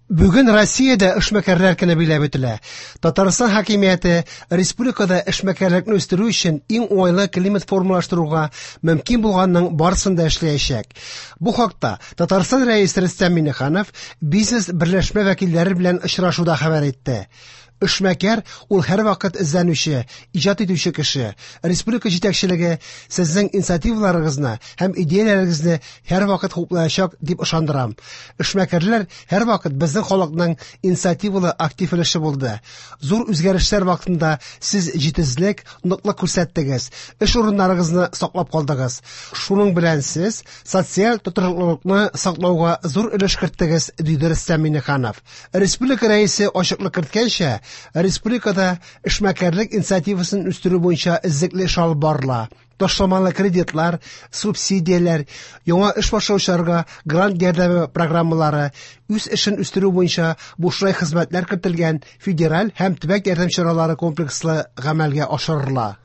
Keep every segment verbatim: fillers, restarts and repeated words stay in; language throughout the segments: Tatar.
Бүген Россиядә эшмәкәрләр көне биләп үтелә. Татарстан хакимияте республикада эшмәкәрлекне үстерү өчен иң уңайлы климат формалаштыруга мөмкин булганның барысын да эшләячәк. Бу хакта Татарстан Рәисе Рөстәм Миңнеханов бизнес берләшмә вәкилләре белән очрашуда хәбәр итте. Эшмәкәр ул һәрвакыт эзләнүче, иҗат итүче кеше. Республика җитәкчелеге сезнең инициативаларыгызны һәм идеяләрегезне һәрвакыт хуплаячак дип ышандырам. Эшмәкәрләр һәрвакыт безнең халыкның инициативалы актив өлеше булды. Зур үзгәрешләр вакытында сез җитезлек, ныклык күрсәттегез, эш урыннарыгызны саклап калдыгыз. Шуның белән сез социаль тотрыклылыкны саклауга зур өлеш керттегез, диде Рөстәм Миңнеханов. Республика рәисе ачыклык керткәнчә, республикада эшмәкәрлек инициативасын үстерү буенча эзлекле эш алып барыла. Ташламалы кредитлар, субсидияләр, яңа эш башлаучыларга грант ярдәме программалары, үз эшен үстерү буенча бушлай хезмәтләр кертелгән федераль һәм төбәк ярдәм чаралары комплекслы гамәлгә ашырыла.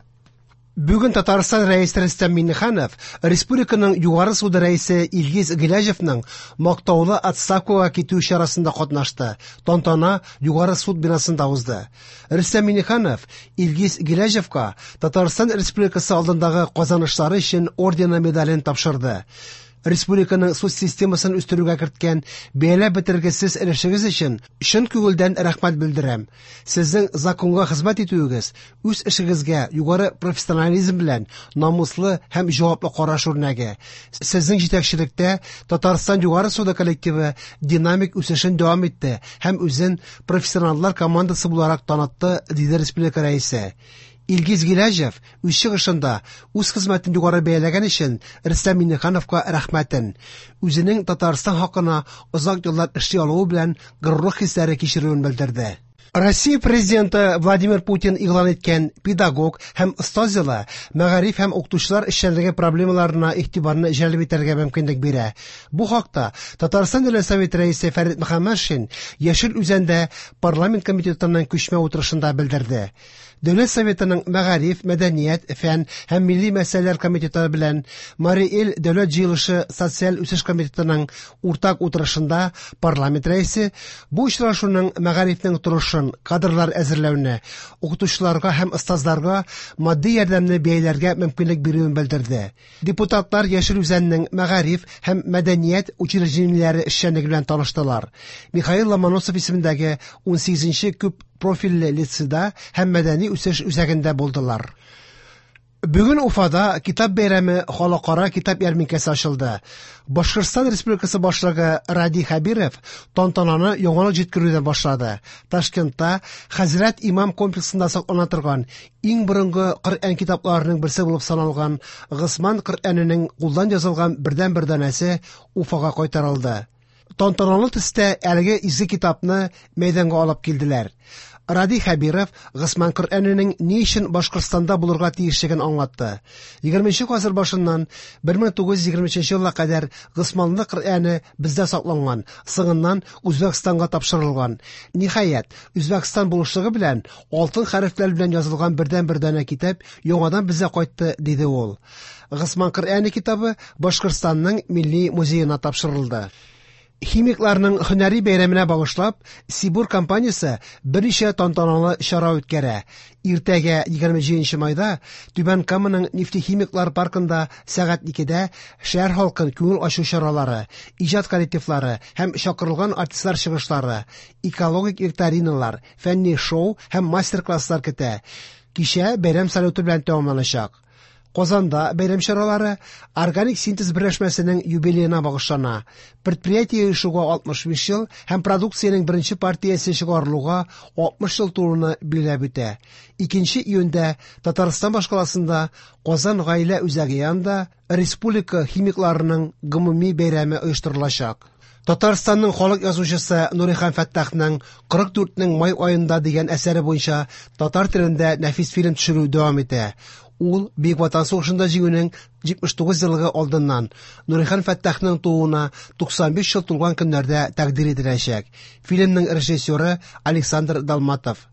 Бүген Татарстан Рәисе Рөстәм Миңнеханов республиканың Югары суды рәисе Илгиз Гыйләҗевның мактаулы отставкага китү чарасында катнашты. Тантана Югары суд бинасында узды. Рөстәм Миңнеханов Илгиз Гыйләҗевка Татарстан Республикасы алдындагы казанышлары өчен ордены медален тапшырды. Республиканың суд системасын үстерүгә керткән бәяләп бетергесез өлешегез өчен чын күңелдән рәхмәт белдерәм. Сезнең законга хезмәт итүегез, үз эшегезгә югары профессионализм белән намуслы һәм җаваплы караш үрнәге. Сезнең җитәкчелектә Татарстан Югары суды коллективы динамик үсешен дәвам итте һәм үзен профессионаллар командасы буларак танытты, диде республика рәисе. Илгиз Гыйләҗев үз чыгышында үз хезмәтен югары бәяләгән өчен Рөстәм Миңнехановка рәхмәтен, үзенең Татарстан хакына озак еллар эшли алуы белән горурлык хисләре кичерүен белдерде. Россия президенты Владимир Путин игълан иткән педагог һәм остаз елы мәгариф һәм укытучылар эшчәнлеге проблемаларына игътибарны җәлеп итәргә мөмкинлек бирә. Бу хакта Татарстан Дәүләт Советы рәисе Фәрит Мөхәммәтшин Яшел Үзәндә парламент комитетының күчмә утырышында белдерде. Дәүләт Советының мәгариф, мәдәният, фән һәм милли мәсьәләләр комитеты белән Марий Эл Дәүләт җыелышы социаль үсеш комитетының уртак утырышында парламент рәисе бу очрашуның мәгарифнең торышын, кадрлар әзерләүне, укытучыларга һәм остазларга матди ярдәмне бәяләргә мөмкинлек бирүен белдерде. Депутатлар Яшел Үзәннең мәгариф һәм мәдәният учреждениеләре эшчәнлеге белән таныштылар. Михаил Ломоносов исемендәге унсигезенче күп профильле лицейда һәм мәдәни үсеш үзәгендә булдылар. Бүген Уфада китап бәйрәме халыкара китап ярминкәсе ачылды. Башкортстан Республикасы башлыгы Радий Хәбиров тантананы яңалык җиткерүдән башлады. Ташкентта Хәзрәт Имам комплексында саклана торган иң борынгы Коръән китапларының берсе булып саналган Госман Коръәненең кулдан язылган бердәнбер данәсе Уфага кайтарылды. Тантаналы төстә әлеге изге китапны мәйданга алып килделәр. Радий Хәбиров Госман Коръәненең ни өчен Башкортстанда булырга тиешлеген аңлатты. Егерменче гасыр башыннан бер мең тугыз йөз егерме өченче елга кадәр Госманлы Коръәне бездә сакланган, соңыннан Үзбәкстанга тапшырылган. Ниһаять, Үзбәкстан булышлыгы белән алтын хәрефләр белән язылган бердәнбер данә китап яңадан безгә кайтты, диде ул. Госман Коръәне китабы Башкортстанның Милли музеена тапшырылды. Химикларның һөнәри бәйрәменә багышлап, Сибур компаниясе берничә тантаналы чара үткәрә. Иртәгә егерме җиденче майда Түбән Каманың нефтехимиклар паркында сәгать икедә шәһәр халкын күңел ачу чаралары, иҗат коллективлары һәм чакырылган артистлар чыгышлары, экологик викториналар, фәнни шоу һәм мастер-класслар көтә. Кичә бәйрәм салюты белән тәмамланачак. Казанда бәйрәм чаралары Органик синтез берләшмәсенең юбилеена багышлана. Предприятие оешуга алтмыш биш ел һәм продукциянең беренче партиясе чыгарылуга алтмыш ел тулуны билгеләп үтә. Икенче июньдә Татарстан башкаласында Казан гаилә үзәге янында республика химикларының гомуми бәйрәме оештырылачак. Татарстанның халык язучысы Нурихан Фәттахның кырык дүртнең май аенда дигән әсәре буенча татар телендә нәфис фильм төшерү дәвам итә. Ул Бөек Ватан сугышында җиңүнең җитмеш тугыз еллыгы алдыннан Нурихан Фәттахның тууына туксан биш ел тулган көннәрдә тәкъдир ителәчәк. Фильмның режиссеры Александр Далматов.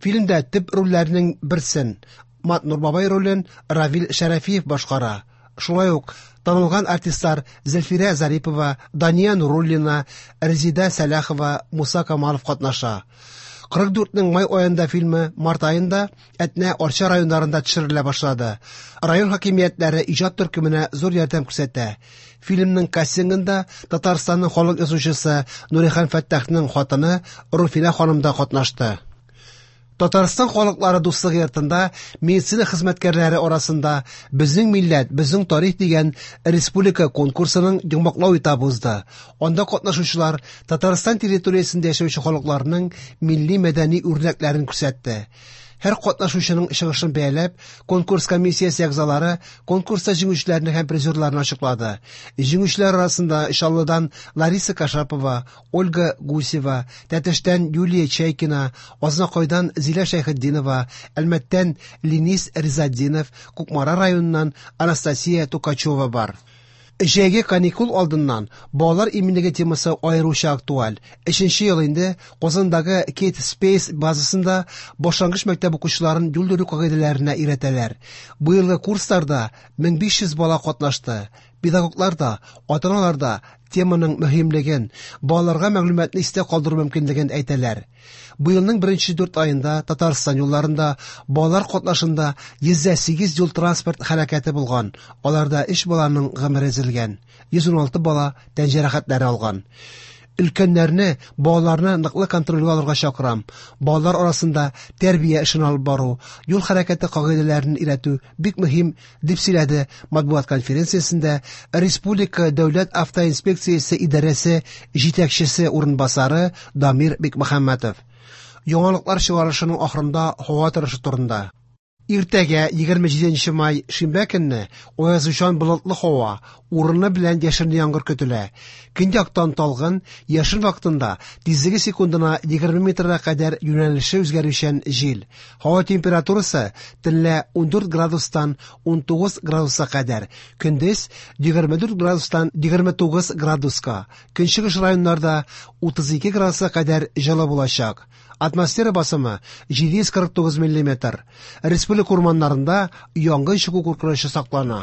Фильмдә төп рольләрнең берсен Матнур бабай ролен Равил Шәрәфиев башкара. Шулай ук танылган артистлар Зөлфирә Зарипова, Дания Нуруллина, Резида Сәлахова, Муса Камалов катнаша. кырык дүртнең май аенда фильмы март аенда Әтнә, Арча районнарында төшерелә башлады. Район хакимиятләре иҗат төркеменә зур ярдәм күрсәтә. Фильмның кастингында Татарстанның халык язучысы Нурихан Фәттахның хатыны Руфинә ханым да катнашты. Татарстан халыклары дуслыгы йортында медицина хезмәткәрләре арасында «Безнең милләт, безнең тарих» дигән республика конкурсының йомгаклау этабы узды. Анда катнашучылар Татарстан территориясендә яшәүче халыкларның милли мәдәни үрнәкләрен күрсәтте. Һәр катнашучының чыгышын бәяләп, конкурс комиссиясе әгъзалары конкурста җиңүчеләрне һәм призерларны ачыклады. Җиңүчеләр арасында Чаллыдан Лариса Кашапова, Ольга Гусева, Тәтештән Юлия Чайкина, Азнакайдан Зилә Шәйхетдинова, Әлмәттән Ленис Ризатдинов, Кукмара районыннан Анастасия Тукачева бар. Җәйге каникул алдыннан балалар иминлеге темасы аеруча актуаль. Өченче ел инде Казандагы Kate Space базасында башлангыч мәктәп укучыларын юл йөрү кагыйдәләренә өйрәтәләр. Быелгы курсларда мең биш йөз бала катнашты. Педагоглар да, ата-аналар да теманың мөһимлеген, балаларга мәгълүматны истә калдыру мөмкинлеген әйтәләр. Быелның беренче дүрт аенда Татарстан юлларында балалар катнашында йөз сигез юл транспорт һәлакәте булган. Аларда өч баланың гомере өзелгән, йөз ун алты бала тән җәрәхәтләре алган. Өлкәннәрне, балаларны ныклы контрольгә алырга чакырам. Балалар арасында тәрбия эшен алып бару, юл хәрәкәте кагыйдәләрен өйрәтү бик мөһим, дип сөйләде матбугат конференциясендә Республика дәүләт автоинспекциясе идарәсе җитәкчесе урынбасары Дамир Бикмөхәммәтов. Яңалыклар чыгарылышының ахырында һава торышы турында. Иртәгә егерме җиденче май шимбә көнне аязучан болытлы һава, урыны белән яшенле яңгыр көтелә. Көньяктан талгын, яшен вакытында тизлеге секундына егерме метрга кадәр юнәлеше үзгәрүчән җил. Һава температурасы төнлә ундүрт градустан унтугыз градуска кадәр, көндез егерме дүрт градустан егерме тугыз градуска, көнчыгыш районнарда утыз ике градуска кадәр җылы булачак. Атмосфера басымы җиде йөз кырык тугыз миллиметр. Республика урманнарында янгын чыгу куркынычы саклана.